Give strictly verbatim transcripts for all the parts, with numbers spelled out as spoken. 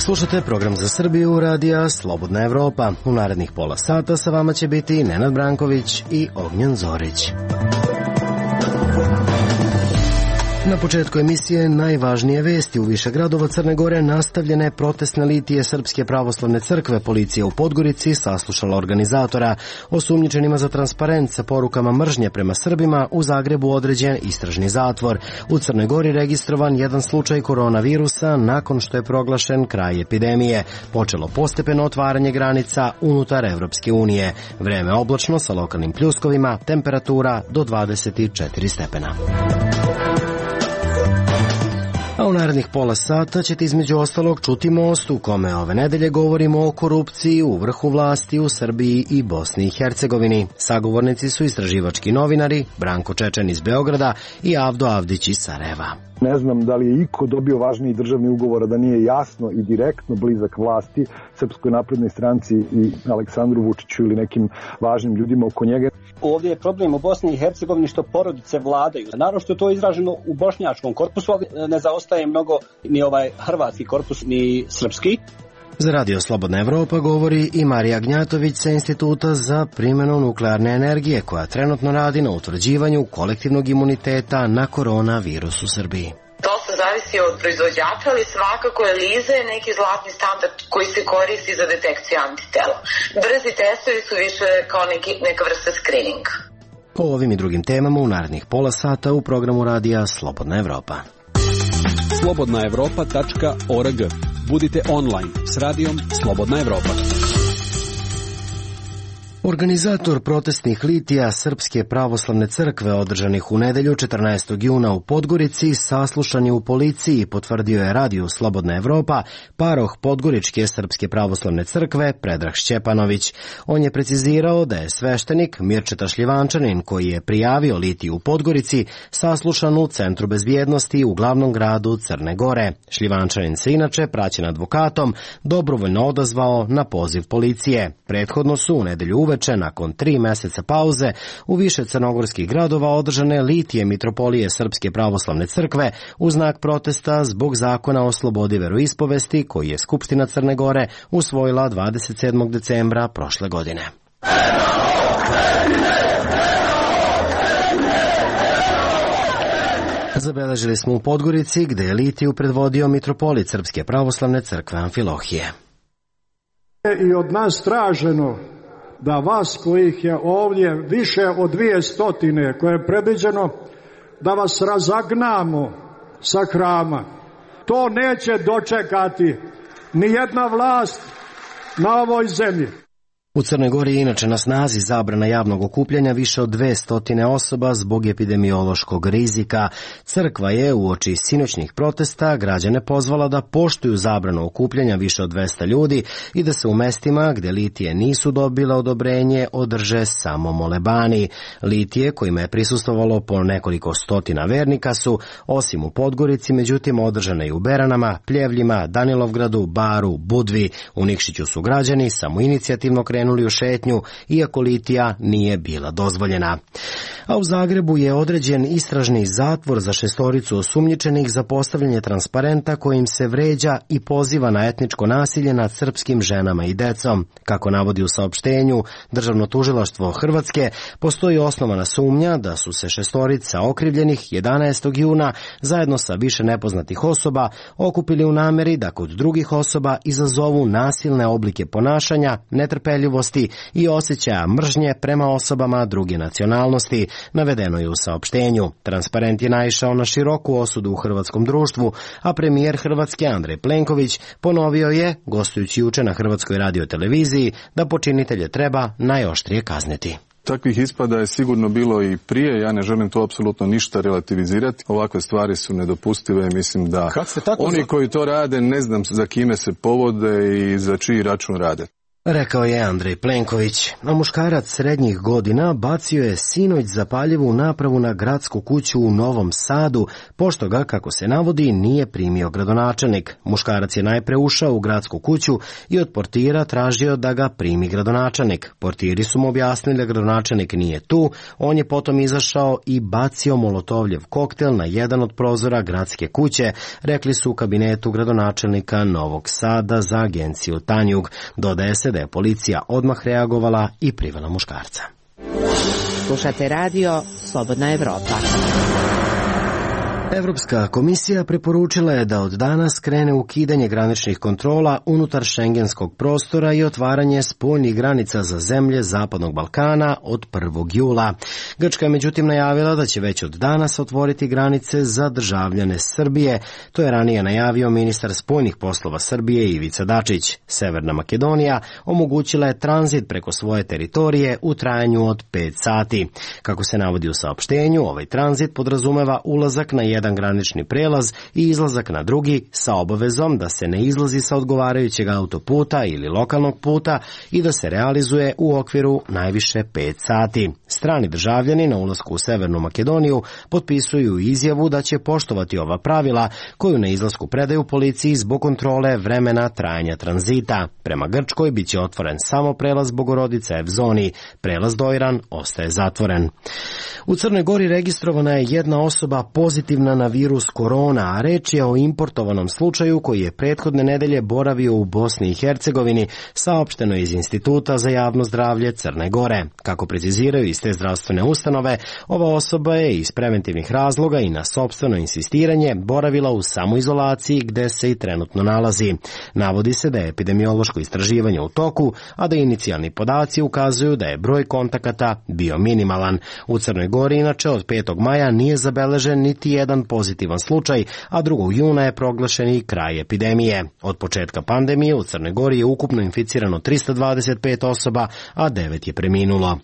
Slušate program za Srbiju radija Slobodna Evropa. U narednih pola sata sa vama će biti Nenad Branković i Ognjen Zorić. Na početku emisije najvažnije vesti. U više gradova Crne Gore nastavljene protestne litije Srpske pravoslavne crkve. Policija u Podgorici saslušala organizatora. Osumnjičenima za transparent sa porukama mržnje prema Srbima u Zagrebu određen istražni zatvor. U Crnoj Gori registrovan jedan slučaj koronavirusa nakon što je proglašen kraj epidemije. Počelo postepeno otvaranje granica unutar Evropske unije. Vreme oblačno sa lokalnim pljuskovima, temperatura do dvadeset četiri stepena. A u narednih pola sata ćete između ostalog čuti Most u kome ove nedelje govorimo o korupciji u vrhu vlasti u Srbiji i Bosni i Hercegovini. Sagovornici su istraživački novinari Branko Čečen iz Beograda i Avdo Avdić iz Sarajeva. Ne znam da li je iko dobio važniji državni ugovor, da nije jasno i direktno blizak vlasti Srpskoj naprednoj stranci i Aleksandru Vučiću ili nekim važnim ljudima oko njega. Ovdje je problem u Bosni i Hercegovini što porodice vladaju. Naravno što je to izraženo u bošnjačkom korpusu, ali ne zaostaje mnogo ni ovaj hrvatski korpus, ni srpski. Za Radio Slobodna Evropa govori i Marija Gnjatović sa Instituta za primjenu nuklearne energije, koja trenutno radi na utvrđivanju kolektivnog imuniteta na koronavirus u Srbiji. To se zavisi od proizvođača, ali svakako ELISA je neki zlatni standard koji se koristi za detekciju antitela. Brzi testovi su više kao neki, neka vrsta skrininga. O ovim i drugim temama u narednih pola sata u programu radija Slobodna Evropa. slobodna evropa tačka org. Budite online s radijom Slobodna Evropa. Organizator protestnih litija Srpske pravoslavne crkve održanih u nedelju četrnaestog juna u Podgorici saslušan je u policiji, potvrdio je radiju Slobodna Evropa paroh Podgoričke Srpske pravoslavne crkve Predrag Šćepanović. On je precizirao da je sveštenik Mirčeta Šljivančanin, koji je prijavio litiju u Podgorici, saslušan u Centru bezbjednosti u glavnom gradu Crne Gore. Šljivančanin se inače, praćen advokatom, dobrovoljno odazvao na poziv policije. Prethodno su u nedelju uveče, nakon tri meseca pauze, u više crnogorskih gradova održane litije Mitropolije Srpske pravoslavne crkve u znak protesta zbog zakona o slobodi veroispovesti koji je Skupština Crne Gore usvojila dvadeset sedmog decembra prošle godine. Zabeležili smo u Podgorici, gde je litiju predvodio mitropolit Srpske pravoslavne crkve Amfilohije. I od nas traženo da vas kojih je ovdje više od dvije stotine koje je predviđeno, da vas razagnamo sa hrama. To neće dočekati ni jedna vlast na ovoj zemlji. U Crnoj Gori je inače na snazi zabrana javnog okupljanja više od dve stotine osoba zbog epidemiološkog rizika. Crkva je uoči sinoćnih protesta građane pozvala da poštuju zabranu okupljanja više od dvesta ljudi i da se u mestima gde litije nisu dobile odobrenje održe samo molebani. Litije, kojima je prisustvovalo po nekoliko stotina vernika, su osim u Podgorici međutim održane i u Beranama, Pljevljima, Danilovgradu, Baru, Budvi. U Nikšiću su građani samoinicijativno krenuli u šetnju, iako litija nije bila dozvoljena. A u Zagrebu je određen istražni zatvor za šestoricu osumnjičenih za postavljanje transparenta kojim se vređa i poziva na etničko nasilje nad srpskim ženama i decom. Kako navodi u saopštenju Državno tužilaštvo Hrvatske, postoji osnovana sumnja da su se šestorica okrivljenih jedanaestog juna zajedno sa više nepoznatih osoba okupili u nameri da kod drugih osoba izazovu nasilne oblike ponašanja, netrpeljivosti i osjećaja mržnje prema osobama druge nacionalnosti, navedeno je u saopštenju. Transparent je naišao na široku osudu u hrvatskom društvu, a premijer Hrvatske Andrej Plenković ponovio je, gostujući juče na Hrvatskoj radioteleviziji, da počinitelje treba najoštrije kazniti. Takvih ispada je sigurno bilo i prije, ja ne želim to apsolutno ništa relativizirati. Ovakve stvari su nedopustive, mislim da oni koji to rade ne znam za kime se povode i za čiji račun rade. Rekao je Andrej Plenković. A muškarac srednjih godina bacio je sinoć zapaljivu napravu na gradsku kuću u Novom Sadu, pošto ga, kako se navodi, nije primio gradonačelnik. Muškarac je najpre ušao u gradsku kuću i od portira tražio da ga primi gradonačelnik. Portiri su mu objasnili da gradonačelnik nije tu, on je potom izašao i bacio molotovljev koktel na jedan od prozora gradske kuće, rekli su u kabinetu gradonačelnika Novog Sada za agenciju Tanjug. Dodaje se da je policija odmah reagovala i privela muškarca. Slušate radio Slobodna Evropa. Evropska komisija preporučila je da od danas krene ukidanje graničnih kontrola unutar šengenskog prostora i otvaranje spoljnih granica za zemlje Zapadnog Balkana od prvog jula. Grčka je međutim najavila da će već od danas otvoriti granice za državljane Srbije. To je ranije najavio ministar spoljnih poslova Srbije Ivica Dačić. Severna Makedonija omogućila je tranzit preko svoje teritorije u trajanju od pet sati. Kako se navodi u saopštenju, ovaj tranzit podrazumeva ulazak na jedan jedan granični prelaz i izlazak na drugi sa obavezom da se ne izlazi sa odgovarajućeg autoputa ili lokalnog puta i da se realizuje u okviru najviše pet sati. Strani državljani na ulasku u Severnu Makedoniju potpisuju izjavu da će poštovati ova pravila koju na izlasku predaju policiji zbog kontrole vremena trajanja tranzita. Prema Grčkoj biće otvoren samo prelaz Bogorodice Evzoni, prelaz Dojran ostaje zatvoren. U Crnoj Gori registrovana je jedna osoba pozitivna na virus korona, a reč je o importovanom slučaju koji je prethodne nedelje boravio u Bosni i Hercegovini, saopšteno iz Instituta za javno zdravlje Crne Gore. Kako preciziraju iz te zdravstvene ustanove, ova osoba je iz preventivnih razloga i na sopstveno insistiranje boravila u samoizolaciji gde se i trenutno nalazi. Navodi se da je epidemiološko istraživanje u toku, a da inicijalni podaci ukazuju da je broj kontakata bio minimalan. U Crnoj Gori inače od petog maja nije zabeležen niti jedan pozitivan slučaj, a drugog juna je proglašen i kraj epidemije. Od početka pandemije u Crnoj Gori je ukupno inficirano trista dvadeset pet osoba, a devet je preminulo.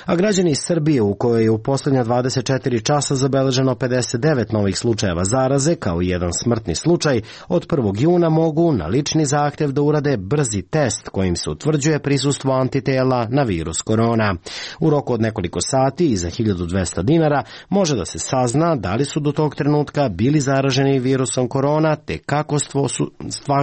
A građani iz Srbije, u kojoj je u poslednja dvadeset četiri časa zabeleženo pedeset devet novih slučajeva zaraze, kao i jedan smrtni slučaj, od prvog juna mogu na lični zahtev da urade brzi test kojim se utvrđuje prisustvo antitela na virus korona. U roku od nekoliko sati i za hiljadu dvesta dinara može da se sazna da li su do tog trenutka bili zaraženi virusom korona, te kako su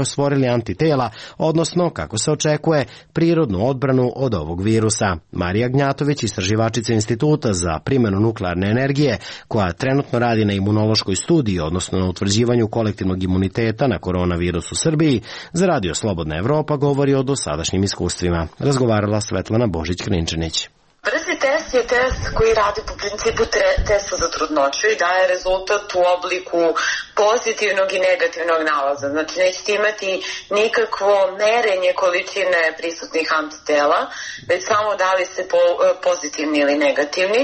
stvorili antitela, odnosno kako se očekuje prirodnu odbranu od ovog virusa. Marija Gnjatović, istraživačica Instituta za primjenu nuklearne energije, koja trenutno radi na imunološkoj studiji, odnosno na utvrđivanju kolektivnog imuniteta na koronavirus u Srbiji, za Radio Slobodna Evropa govori o dosadašnjim iskustvima. Razgovarala Svetlana Božić-Krinčanić. Brzi test je test koji radi po principu testa za trudnoću i daje rezultat u obliku pozitivnog i negativnog nalaza. Znači nećete imati nikakvo merenje količine prisutnih antitela, već samo da li ste pozitivni ili negativni,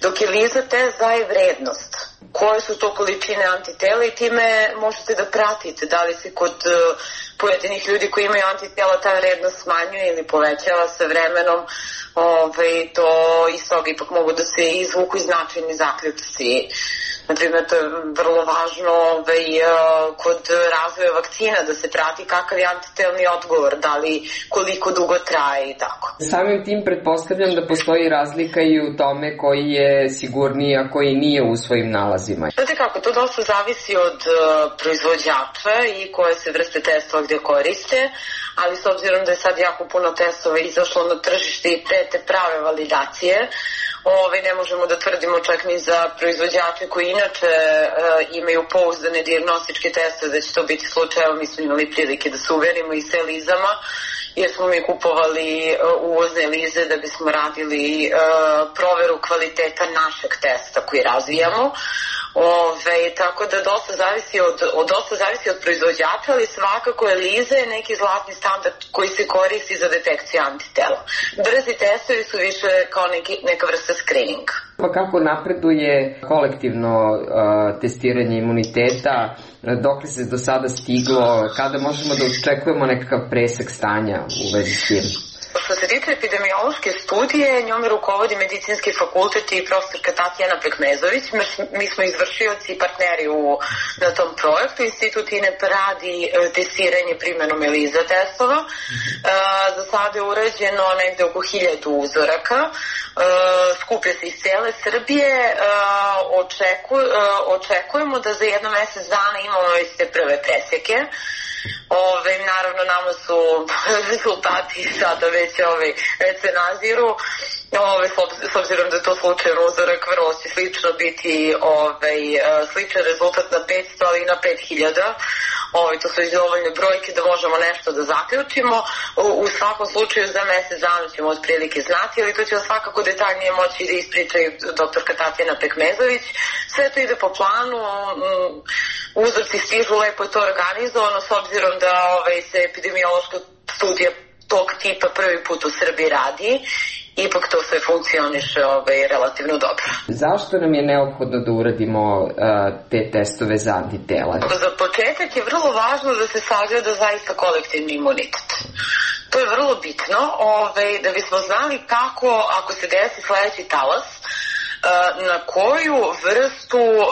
dok je LISA test daje vrednost. Koje su to količine antitela i time možete da pratite da li se kod pojedinih ljudi koji imaju antitela ta vrednost smanjuje ili povećava sa vremenom. Ove, to iz toga ipak mogu da se izvuku i značajni zaključci. Naprimjer, to je vrlo važno ove, kod razvoja vakcina da se prati kakav je antitelni odgovor, da li koliko dugo traje i tako. Samim tim pretpostavljam da postoji razlika i u tome koji je sigurniji, a koji nije u svojim nalazima. Znate kako, to dosta zavisi od uh, proizvođača i koje se vrste testova gde koriste, ali s obzirom da je sad jako puno testova izašlo na tržište i pre te prave validacije, Ove, ne možemo da tvrdimo čak ni za proizvođače koji inače e, imaju pouzdane dijagnostičke testove da će to biti slučaj. Mi smo imali prilike da se uverimo i sa lizama, jer smo mi kupovali e, uvozne lize da bismo radili e, proveru kvaliteta našeg testa koji razvijamo. Ove, tako da dosta zavisi od, od, dosta zavisi od proizvođača, ali svakako je liza neki zlatni standard koji se koristi za detekciju antitela. Brzi testovi su više kao neki, neka vrsta screeninga. Pa kako napreduje kolektivno uh, testiranje imuniteta, dok li se do sada stiglo, kada možemo da očekujemo nekakav presek stanja u vezi s tim? Što se se tiče epidemiološke studije, njome rukovodi medicinski fakultet i profesorka Tatjana Pekmezović. Mi smo izvršioci i partneri u, na tom projektu. Institut I N E P radi testiranje primjenom ELISA testova. Za sada je urađeno negde oko hiljadu uzoraka. Skuplja se iz cele Srbije. Očeku, očekujemo da za jedno mesec dana imamo već te prve presjeke. Ove, naravno nama su rezultati sada već, ove, već se naziru. Ove, s obzirom da je to slučajan uzorak, vrlo će slično biti ove, sličan rezultat na petsto, ali i na pet hiljada. Ove, to su već dovoljne brojke da možemo nešto da zaključimo. U, u svakom slučaju za mesec dana ćemo otprilike znati, ali to će svakako detaljnije moći da ispriča i doktorka Tatjana Pekmezović. Sve to ide po planu, uzorci stižu, lepo je to organizovano, s obzirom da ove, se epidemiološka studija tog tipa prvi put u Srbiji radi. Ipak to sve funkcioniše ovaj, relativno dobro. Zašto nam je neophodno da uradimo uh, te testove za antitela? Za početak je vrlo važno da se sagleda zaista kolektivni imunitet. To je vrlo bitno, ovaj, da bismo znali kako, ako se desi sledeći talas, na koju vrstu uh,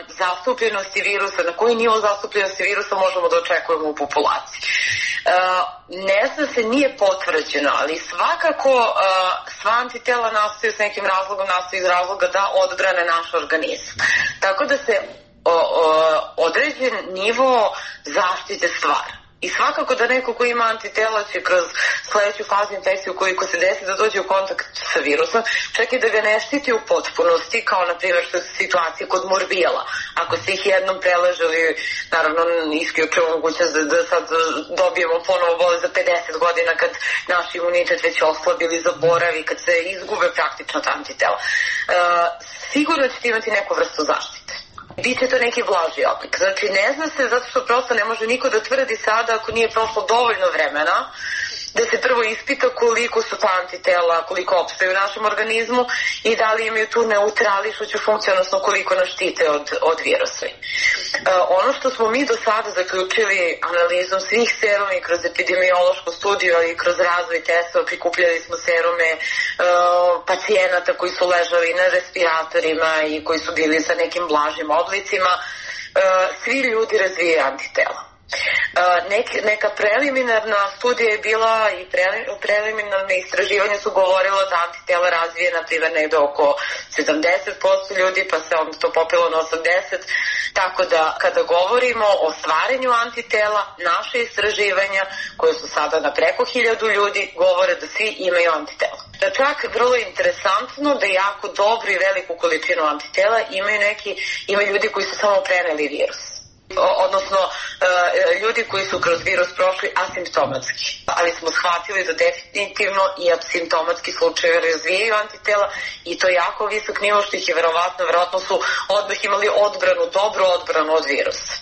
zastupljenosti virusa, na koji nivo zastupljenosti virusa možemo da očekujemo u populaciji. Uh, ne zna se, nije potvrđeno, ali svakako uh, sva antitela nastaju s nekim razlogom, nastaju iz razloga da odbrane naš organizam. Tako da se o, o, određen nivo zaštite stvara. I svakako da neko ko ima antitela će kroz sledeću fazu infekcije ukoliko se desi da dođe u kontakt sa virusom, čak i da ga ne štiti u potpunosti, kao na primjer što je situacija kod morbijala. Ako se ih jednom preležali, naravno isključuje mogućnost da, da sad dobijemo ponovo bolest za pedeset godina kad naš imunitet već oslabi ili zaboravi, kad se izgube praktično ta antitela. E, sigurno ćete imati neku vrstu zaštite. Biće to neki blaži oblik. Znači ne zna se zato što prosto ne može niko da tvrdi sada ako nije prošlo dovoljno vremena da se prvo ispita koliko su ta antitela, koliko opstaju u našem organizmu i da li imaju tu neutrališuću funkciju, odnosno koliko nas štite od, od virusa. E, ono što smo mi do sada zaključili analizom svih seruma i kroz epidemiološku studiju, ali i kroz razvoj testova, prikupljali smo serume e, pacijenata koji su ležali na respiratorima i koji su bili sa nekim blažim oblicima, e, svi ljudi razvijaju antitela. Nek, neka preliminarna studija je bila i pre, preliminarne istraživanja su govorilo da antitela razvije na primjer negde oko sedamdeset posto ljudi, pa se onda to popilo na osamdeset posto, tako da kada govorimo o stvaranju antitela, naše istraživanja koje su sada na preko hiljadu ljudi govore da svi imaju antitela. Da čak vrlo interesantno da jako dobru i veliku količinu antitela imaju neki, imaju ljudi koji su samo preneli virus. Odnosno ljudi koji su kroz virus prošli asimptomatski, ali smo shvatili da definitivno i asimptomatski slučajevi razvijaju antitela i to je jako visok nivo što ih je verovatno, verovatno su odmah imali odbranu, dobru odbranu od virusa.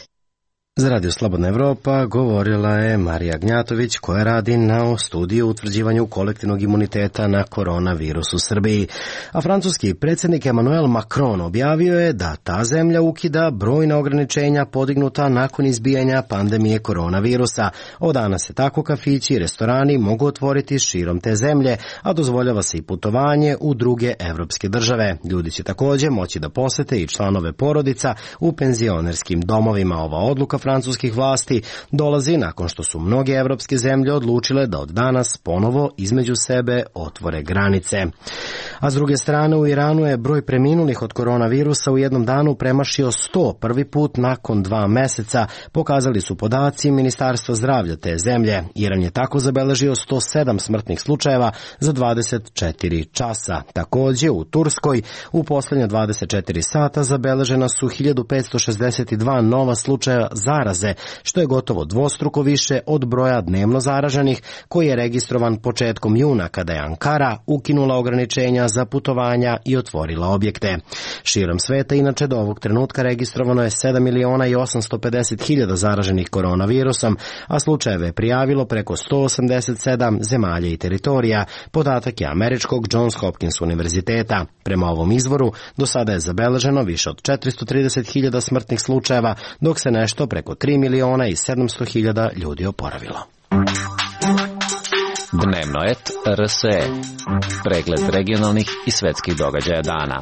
Za Radio Slobodna Evropa govorila je Marija Gnjatović koja radi na studiju utvrđivanju kolektivnog imuniteta na koronavirus u Srbiji. A francuski predsjednik Emmanuel Macron objavio je da ta zemlja ukida brojna ograničenja podignuta nakon izbijanja pandemije koronavirusa. Od danas se tako kafići i restorani mogu otvoriti širom te zemlje, a dozvoljava se i putovanje u druge evropske države. Ljudi će također moći da posete i članove porodica u penzionerskim domovima. Ova odluka francuskih vlasti dolazi nakon što su mnoge evropske zemlje odlučile da od danas ponovo između sebe otvore granice. A s druge strane u Iranu je broj preminulih od koronavirusa u jednom danu premašio sto prvi put nakon dva meseca, pokazali su podaci Ministarstva zdravlja te zemlje. Iran je tako zabeležio sto sedam smrtnih slučajeva za dvadeset četiri časa. Također u Turskoj u posljednje dvadeset četiri sata zabeležena su hiljadu petsto šezdeset dva nova slučaja zaraze, što je gotovo dvostruko više od broja dnevno zaraženih koji je registrovan početkom juna kada je Ankara ukinula ograničenja za putovanja i otvorila objekte. Širom sveta inače do ovog trenutka registrovano je sedam miliona i osamsto pedeset hiljada zaraženih koronavirusom, a slučajeve je prijavilo preko sto osamdeset sedam zemalja i teritorija. Podatak je američkog Johns Hopkins univerziteta. Prema ovom izvoru do sada je zabeleženo više od četiristo trideset hiljada smrtnih slučajeva, dok se nešto preko tri miliona i sedamsto hiljada ljudi oporavilo. Dnevno et R S E. Pregled regionalnih i svetskih događaja dana.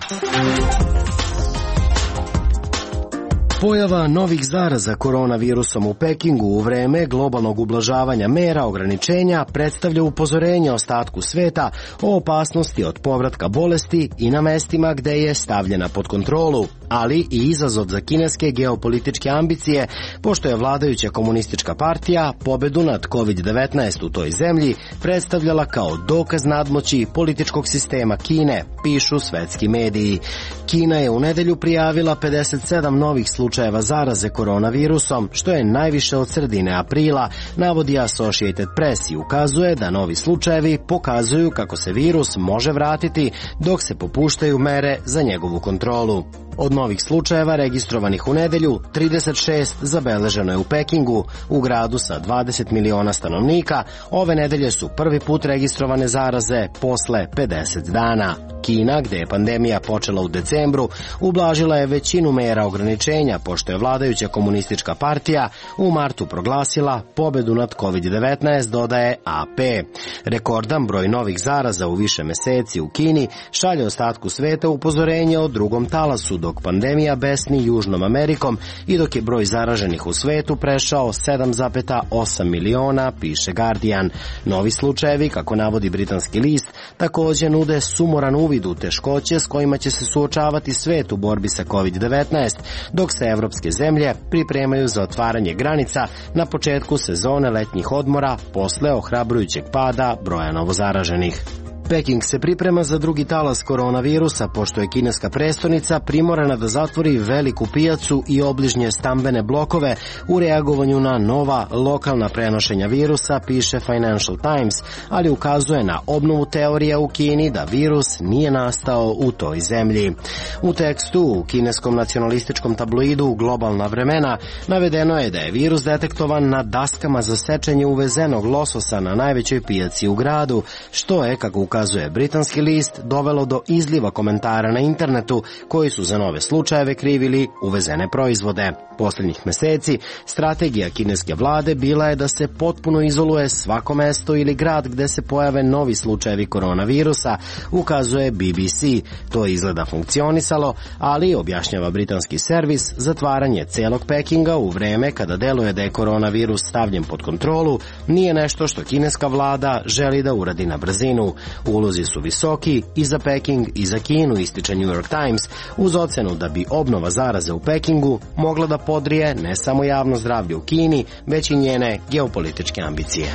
Pojava novih zaraza koronavirusom u Pekingu u vreme globalnog ublažavanja mera ograničenja predstavlja upozorenje ostatku sveta o opasnosti od povratka bolesti i na mestima gde je stavljena pod kontrolu, ali i izazov za kineske geopolitičke ambicije, pošto je vladajuća komunistička partija pobedu nad kovid devetnaest u toj zemlji predstavljala kao dokaz nadmoći političkog sistema Kine, pišu svetski mediji. Kina je u nedelju prijavila pedeset sedam novih slučajeva zaraze koronavirusom, što je najviše od sredine aprila, navodi Associated Press i ukazuje da novi slučajevi pokazuju kako se virus može vratiti dok se popuštaju mere za njegovu kontrolu. Od novih slučajeva registrovanih u nedelju, trideset šest zabeleženo je u Pekingu, u gradu sa dvadeset miliona stanovnika. Ove nedelje su prvi put registrovane zaraze posle pedeset dana. Kina, gde je pandemija počela u decembru, ublažila je većinu mera ograničenja, pošto je vladajuća komunistička partija u martu proglasila pobedu nad kovid devetnaest, dodaje A P. Rekordan broj novih zaraza u više meseci u Kini šalje ostatku sveta upozorenje o drugom talasu, dok pandemija besni Južnom Amerikom i dok je broj zaraženih u svetu prešao sedam zarez osam miliona, piše Guardian. Novi slučajevi, kako navodi britanski list, takođe nude sumoran uvid u teškoće s kojima će se suočavati svet u borbi sa kovid devetnaest, dok se evropske zemlje pripremaju za otvaranje granica na početku sezone letnjih odmora posle ohrabrujućeg pada broja novozaraženih. Peking se priprema za drugi talas koronavirusa, pošto je kineska prestonica primorana da zatvori veliku pijacu i obližnje stambene blokove u reagovanju na nova lokalna prenošenja virusa, piše Financial Times, ali ukazuje na obnovu teorija u Kini da virus nije nastao u toj zemlji. U tekstu u kineskom nacionalističkom tabloidu Globalna vremena navedeno je da je virus detektovan na daskama za sečenje uvezenog lososa na najvećoj pijaci u gradu, što je, kako ukazuje britanski list, dovelo do izliva komentara na internetu koji su za nove slučajeve krivili uvezene proizvode. Poslednjih meseci strategija kineske vlade bila je da se potpuno izoluje svako mesto ili grad gde se pojave novi slučajevi koronavirusa, ukazuje B B C. To je izgleda funkcionisalo, ali, objašnjava britanski servis, zatvaranje celog Pekinga u vreme kada deluje da je koronavirus stavljen pod kontrolu nije nešto što kineska vlada želi da uradi na brzinu. Ulozi su visoki i za Peking i za Kinu, ističe New York Times, uz ocenu da bi obnova zaraze u Pekingu mogla da podrije ne samo javno zdravlje u Kini, već i njene geopolitičke ambicije.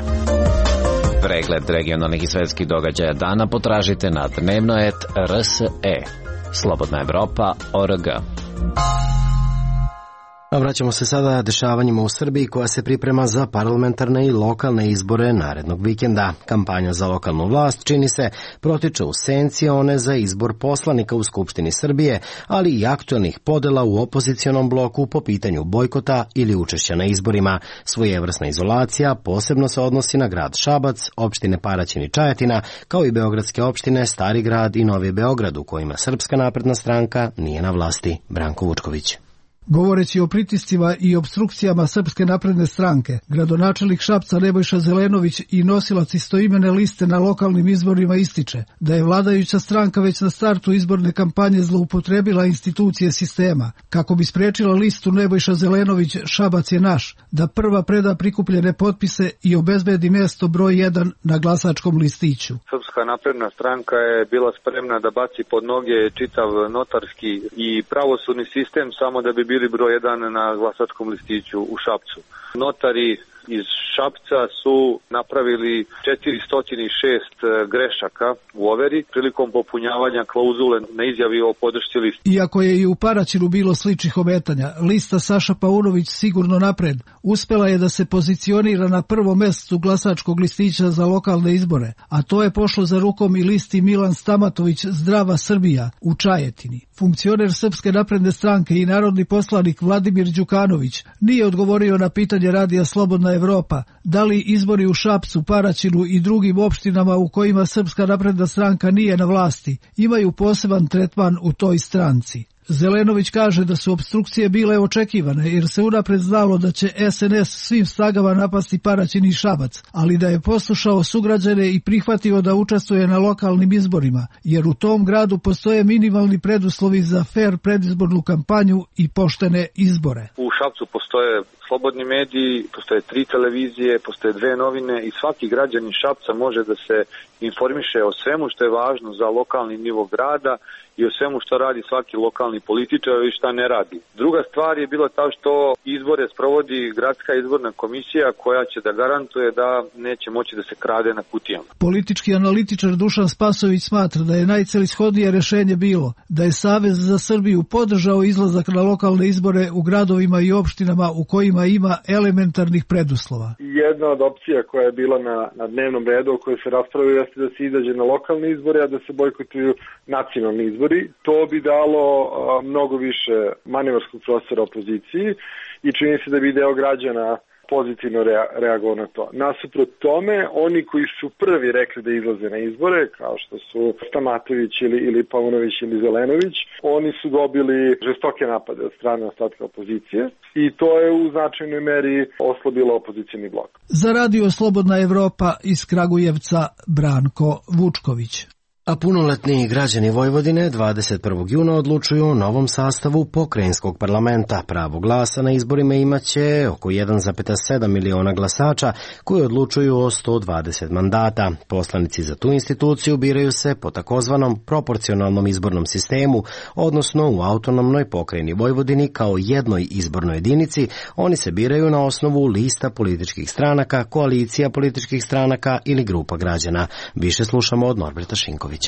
Pregled regionalnih i svetskih događaja dana potražite na dnevno et R S E. Slobodna Evropa, O R G. A vraćamo se sada dešavanjima u Srbiji, koja se priprema za parlamentarne i lokalne izbore narednog vikenda. Kampanja za lokalnu vlast, čini se, protiče u senci one za izbor poslanika u Skupštini Srbije, ali i aktuelnih podela u opozicionom bloku po pitanju bojkota ili učešća na izborima. Svojevrsna izolacija posebno se odnosi na grad Šabac, opštine Paraćin i Čajetina, kao i beogradske opštine Stari grad i Novi Beograd, u kojima Srpska napredna stranka nije na vlasti. Branko Vučković. Govoreći o pritiscima i obstrukcijama Srpske napredne stranke, gradonačelnik Šapca Nebojša Zelenović i nosilac istoimene liste na lokalnim izborima ističe da je vladajuća stranka već na startu izborne kampanje zloupotrebila institucije sistema kako bi sprečila listu Nebojša Zelenović Šabac je naš, da prva preda prikupljene potpise i obezbedi mesto broj jedan na glasačkom listiću. Srpska napredna stranka je bila spremna da baci pod noge čitav notarski i pravosudni sistem samo da bi bili broj jedan na glasačkom listiću u Šapcu. Notari iz Šapca su napravili četiristo šest grešaka u overi prilikom popunjavanja klauzule na izjavi o podršci listi. Iako je i u Paraćinu bilo sličnih ometanja, lista Saša Paunović sigurno napred uspela je da se pozicionira na prvom mestu glasačkog listića za lokalne izbore, a to je pošlo za rukom i listi Milan Stamatović Zdrava Srbija u Čajetini. Funkcioner Srpske napredne stranke i narodni poslanik Vladimir Đukanović nije odgovorio na pitanje radija Slobodna Evropa da li izbori u Šapcu, Paraćinu i drugim opštinama u kojima Srpska napredna stranka nije na vlasti imaju poseban tretman u toj stranci. Zelenović kaže da su opstrukcije bile očekivane jer se unapred znalo da će S N S svim snagama napasti Paraćin i Šabac, ali da je poslušao sugrađane i prihvatio da učestvuje na lokalnim izborima, jer u tom gradu postoje minimalni preduslovi za fer predizbornu kampanju i poštene izbore. U Šapcu postoje slobodni mediji, postoje tri televizije, postoje dve novine i svaki građanin Šapca može da se informiše o svemu što je važno za lokalni nivo grada i o svemu što radi svaki lokalni političar i šta ne radi. Druga stvar je bila ta što izbore sprovodi gradska izborna komisija koja će da garantuje da neće moći da se krade na kutijama. Politički analitičar Dušan Spasović smatra da je najcelishodnije rešenje bilo da je Savez za Srbiju podržao izlazak na lokalne izbore u gradovima i opštinama u kojima ima elementarnih preduslova. Jedna od opcija koja je bila na, na dnevnom redu o kojoj se raspravljaju jeste da se izađe na lokalne izbore, a da se bojkotuju nacionalni izbori. To bi dalo a, mnogo više manevarskog prostora opoziciji i čini se da bi deo građana pozitivno rea, reagovao na to. Nasuprot tome, oni koji su prvi rekli da izlaze na izbore, kao što su Stamatović ili, ili Paunović ili Zelenović, oni su dobili žestoke napade od strane ostatka opozicije i to je u značajnoj meri oslabilo opozicioni blok. Za Radio Slobodna Evropa iz Kragujevca Branko Vučković. A punoletni građani Vojvodine dvadeset prvog juna odlučuju o novom sastavu pokrajinskog parlamenta. Pravo glasa na izborima imaće oko jedan zarez sedam miliona glasača koji odlučuju o sto dvadeset mandata. Poslanici za tu instituciju biraju se po takozvanom proporcionalnom izbornom sistemu, odnosno u autonomnoj pokrajini Vojvodini kao jednoj izbornoj jedinici. Oni se biraju na osnovu lista političkih stranaka, koalicija političkih stranaka ili grupa građana. Više slušamo od Norberta Šinkovića.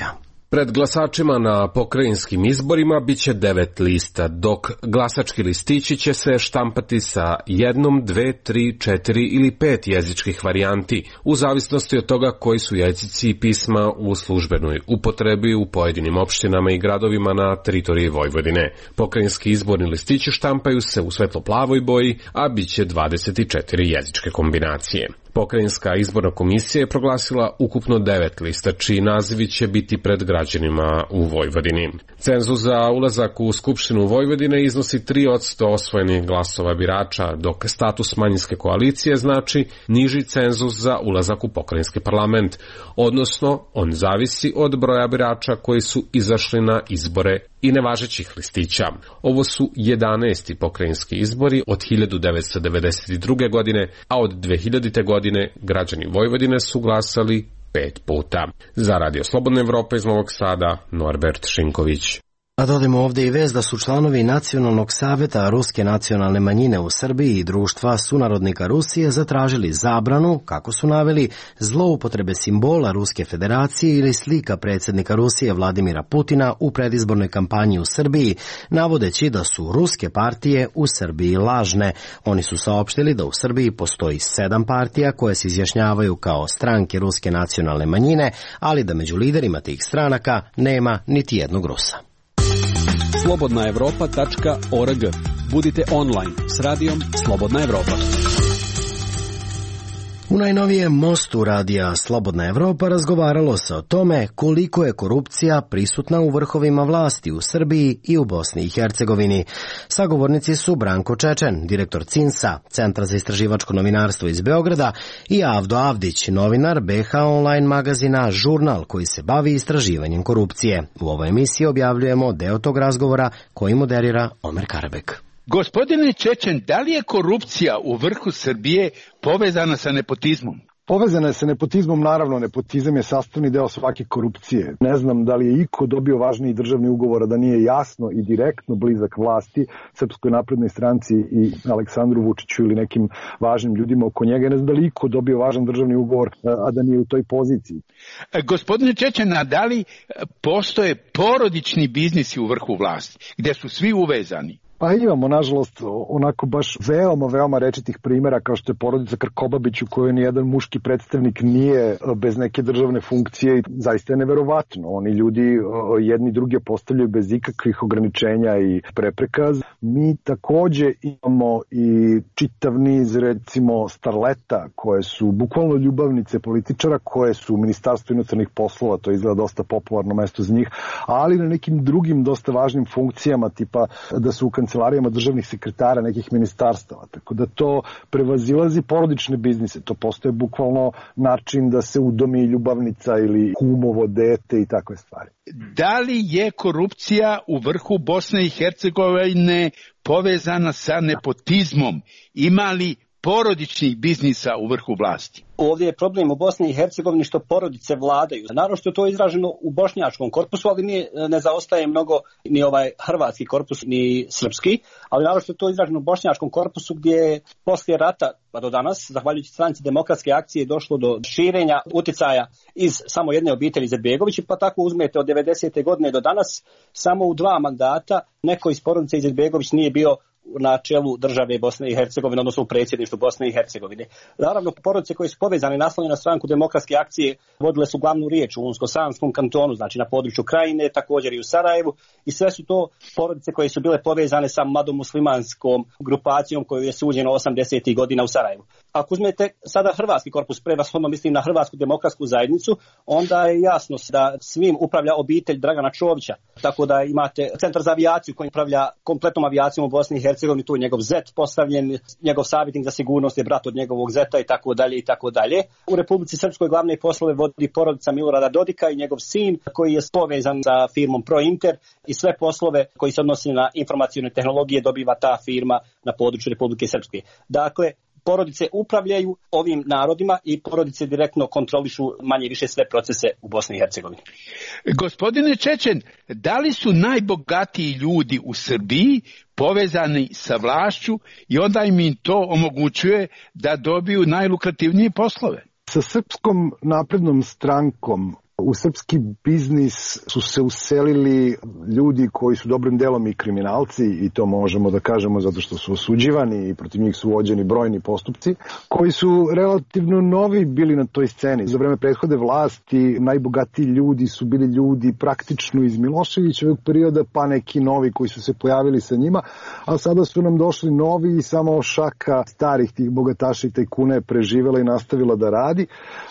Pred glasačima na pokrajinskim izborima biće devet lista, dok glasački listići će se štampati sa jednom, dve, tri, četiri ili pet jezičkih varijanti, u zavisnosti od toga koji su jezici i pisma u službenoj upotrebi u pojedinim opštinama i gradovima na teritoriji Vojvodine. Pokrajinski izborni listići štampaju se u svetlo-plavoj boji, a biće dvadeset četiri jezičke kombinacije. Pokrajinska izborna komisija je proglasila ukupno devet lista, čiji nazivi će biti pred građanima u Vojvodini. Cenzus za ulazak u Skupštinu Vojvodine iznosi tri posto osvojenih glasova birača, dok status manjinske koalicije znači niži cenzus za ulazak u pokrajinski parlament, odnosno on zavisi od broja birača koji su izašli na izbore i nevažećih listića. Ovo su jedanaesti pokrajinski izbori od hiljadu devetsto devedeset druge. godine, a od dve hiljadite. godine građani Vojvodine su glasali pet puta. Za Radio Slobodna Evropa iz Novog Sada, Norbert Šinković. A dodajmo ovdje i vez da su članovi Nacionalnog saveta Ruske nacionalne manjine u Srbiji i društva sunarodnika Rusije zatražili zabranu, kako su naveli, zloupotrebe simbola Ruske federacije ili slika predsjednika Rusije Vladimira Putina u predizbornoj kampanji u Srbiji, navodeći da su ruske partije u Srbiji lažne. Oni su saopštili da u Srbiji postoji sedam partija koje se izjašnjavaju kao stranke Ruske nacionalne manjine, ali da među liderima tih stranaka nema niti jednog Rusa. slobodna evropa tačka org. Budite online s radijom Slobodna Evropa. U najnovijem mostu radija Slobodna Evropa razgovaralo se o tome koliko je korupcija prisutna u vrhovima vlasti u Srbiji i u Bosni i Hercegovini. Sagovornici su Branko Čečen, direktor cinsa, Centra za istraživačko novinarstvo iz Beograda, i Avdo Avdić, novinar B H online magazina Žurnal, koji se bavi istraživanjem korupcije. U ovoj emisiji objavljujemo deo tog razgovora koji moderira Omer Karabek. Gospodine Čečen, da li je korupcija u vrhu Srbije povezana sa nepotizmom? Povezana je sa nepotizmom, naravno, nepotizam je sastavni deo svake korupcije. Ne znam da li je iko dobio važniji državni ugovor, a da nije jasno i direktno blizak vlasti, Srpskoj naprednoj stranci i Aleksandru Vučiću ili nekim važnim ljudima oko njega. Ne znam da li iko dobio važan državni ugovor, a da nije u toj poziciji. Gospodine Čečen, a da li postoje porodični biznisi u vrhu vlasti, gde su svi uvezani? Pa imamo, nažalost, onako baš veoma, veoma rečitih primjera kao što je porodica Krkobabić u kojoj nijedan muški predstavnik nije bez neke državne funkcije i zaista je neverovatno. Oni ljudi jedni druge postavljaju bez ikakvih ograničenja i prepreka. Mi takođe imamo i čitav niz, recimo, starleta koje su bukvalno ljubavnice političara, koje su u Ministarstvu inostranih poslova, to izgleda dosta popularno mesto za njih, ali na nekim drugim dosta važnim funkcijama, tipa da su u kancelarijama državnih sekretara nekih ministarstava. Tako da to prevazilazi porodične biznise. To postaje bukvalno način da se udomi ljubavnica ili kumovo dete i takve stvari. Da li je korupcija u vrhu Bosne i Hercegovine povezana sa nepotizmom? Ima li porodičnih biznisa u vrhu vlasti? Ovdje je problem u Bosni i Hercegovini što porodice vladaju. Naravno što je to izraženo u bošnjačkom korpusu, ali nije, ne zaostaje mnogo ni ovaj hrvatski korpus, ni srpski, ali naravno što je to izraženo u bošnjačkom korpusu gdje je poslije rata pa do danas, zahvaljujući Stranci demokratske akcije, došlo do širenja uticaja iz samo jedne obitelji Izetbegovića, pa tako uzmete od devedesete godine do danas, samo u dva mandata neko iz porodice Izetbegović nije bio na čelu države Bosne i Hercegovine, odnosno u predsjedništvu Bosne i Hercegovine. Naravno, porodice koje su povezane naslonjene na Stranku demokratske akcije vodile su glavnu riječ u Unsko-Sanskom kantonu, znači na području Krajine, također i u Sarajevu, i sve su to porodice koje su bile povezane sa mladom muslimanskom grupacijom koju je suđeno osamdesetih godina u Sarajevu. Ako uzmete sada hrvatski korpus, prevashodno mislim na Hrvatsku demokratsku zajednicu, onda je jasno da svim upravlja obitelj Dragana Čovića, tako da imate Centar za avijaciju koji upravlja kompletnom avijacijom u Bosni i Hercegovini, tu je njegov zet postavljen, njegov savjetnik za sigurnost je brat od njegovog zeta i tako dalje i tako dalje. U Republici Srpskoj glavne poslove vodi porodica Milorada Dodika i njegov sin koji je povezan sa firmom Prointer i sve poslove koji se odnose na informacione tehnologije dobiva ta firma na području Republike Srpske. Dakle, porodice upravljaju ovim narodima i porodice direktno kontrolišu manje više sve procese u Bosni i Hercegovini. Gospodine Čečen, da li su najbogatiji ljudi u Srbiji povezani sa vlašću i onda im to omogućuje da dobiju najlukrativnije poslove? Sa Srpskom naprednom strankom u srpski biznis su se uselili ljudi koji su dobrim delom i kriminalci, i to možemo da kažemo zato što su osuđivani i protiv njih su vođeni brojni postupci, koji su relativno novi bili na toj sceni. Za vreme prethode vlasti najbogatiji ljudi su bili ljudi praktično iz Miloševićevog perioda, pa neki novi koji su se pojavili sa njima, a sada su nam došli novi i samo šaka starih tih bogataša i tajkuna je preživela i nastavila da radi.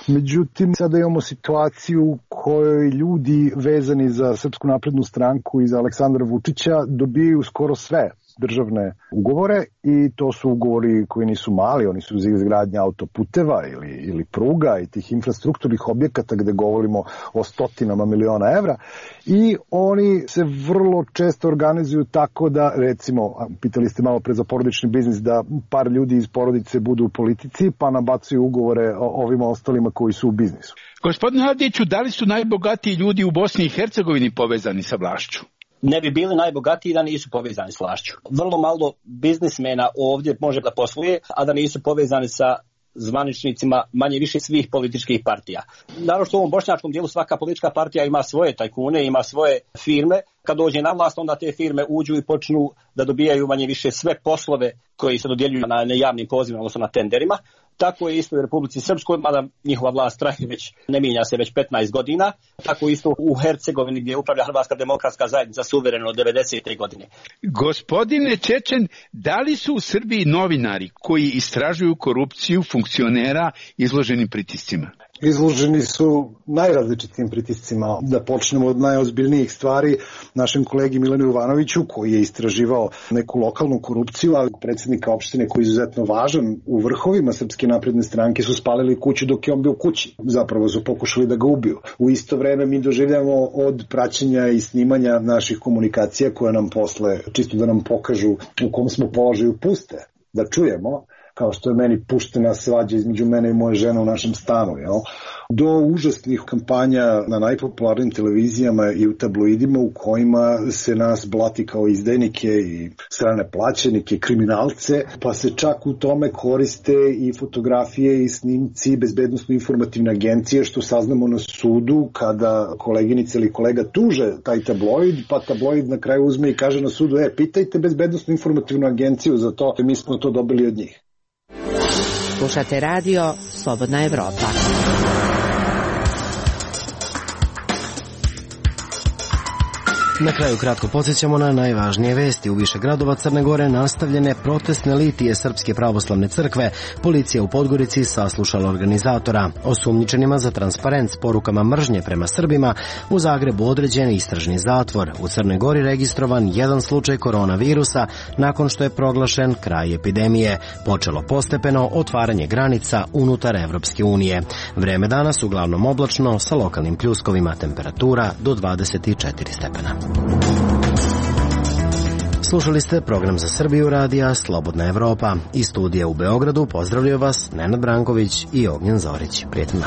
Međutim, sada imamo situaciju kojoj ljudi vezani za Srpsku naprednu stranku i za Aleksandra Vučića dobijaju skoro sve državne ugovore, i to su ugovori koji nisu mali, oni su za izgradnje autoputeva ili, ili pruga i tih infrastrukturnih objekata gde govorimo o stotinama miliona evra, i oni se vrlo često organizuju tako da, recimo, pitali ste malo pre za porodični biznis, da par ljudi iz porodice budu u politici pa nabacuju ugovore o ovima ostalima koji su u biznisu. Gospodine Avdiću, da li su najbogatiji ljudi u Bosni i Hercegovini povezani sa vlašću? Ne bi bili najbogatiji da nisu povezani s vlašću. Vrlo malo biznismena ovdje može da posluje, a da nisu povezani sa zvaničnicima manje više svih političkih partija. Naravno što u ovom bošnjačkom dijelu svaka politička partija ima svoje tajkune, ima svoje firme. Kad dođe na vlast, onda te firme uđu i počnu da dobijaju manje više sve poslove koji se dodjeljuju na javnim pozivima, odnosno na tenderima. Tako je isto u Republici Srpskoj, mada njihova vlast traje već, ne mijenja se već petnaest godina. Tako isto u Hercegovini gdje upravlja Hrvatska demokratska zajednica suvereno od devedesete godine. Gospodine Čečen, da li su u Srbiji novinari koji istražuju korupciju funkcionera izloženi pritiscima? Izloženi su najrazličitim pritiscima. Da počnemo od najozbiljnijih stvari, našem kolegi Milanu Jovanoviću, koji je istraživao neku lokalnu korupciju, ali predsjednika opštine koji je izuzetno važan u vrhovima Srpske napredne stranke su spalili kuću dok je on bio kući. Zapravo su pokušali da ga ubiju. U isto vreme mi doživljamo od praćenja i snimanja naših komunikacija koje nam posle, čisto da nam pokažu u kom smo položaju, puste, da čujemo kao što je meni puštena svađa između mene i moje žene u našem stanu, jel? Do užasnih kampanja na najpopularnijim televizijama i u tabloidima u kojima se nas blati kao izdajnike i strane plaćenike, kriminalce, pa se čak u tome koriste i fotografije i snimci bezbednosno-informativne agencije, što saznamo na sudu kada koleginica ili kolega tuže taj tabloid, pa tabloid na kraju uzme i kaže na sudu, e, pitajte bezbednosno-informativnu agenciju za to, mi smo to dobili od njih. Slušate radio Slobodna Evropa. Na kraju kratko podsjećamo na najvažnije vesti. U više gradova Crne Gore nastavljene protestne litije Srpske pravoslavne crkve. Policija u Podgorici saslušala organizatora. Osumnjičenima za transparent s porukama mržnje prema Srbima u Zagrebu određen istražni zatvor. U Crnoj Gori registrovan jedan slučaj koronavirusa nakon što je proglašen kraj epidemije. Počelo postepeno otvaranje granica unutar Evropske unije. Vreme danas uglavnom oblačno sa lokalnim pljuskovima, temperatura do dvadeset četiri stepena. Slušali ste program za Srbiju radija Slobodna Evropa. Iz studija u Beogradu pozdravljaju vas Nenad Branković i Ognjen Zorić. Prijetno.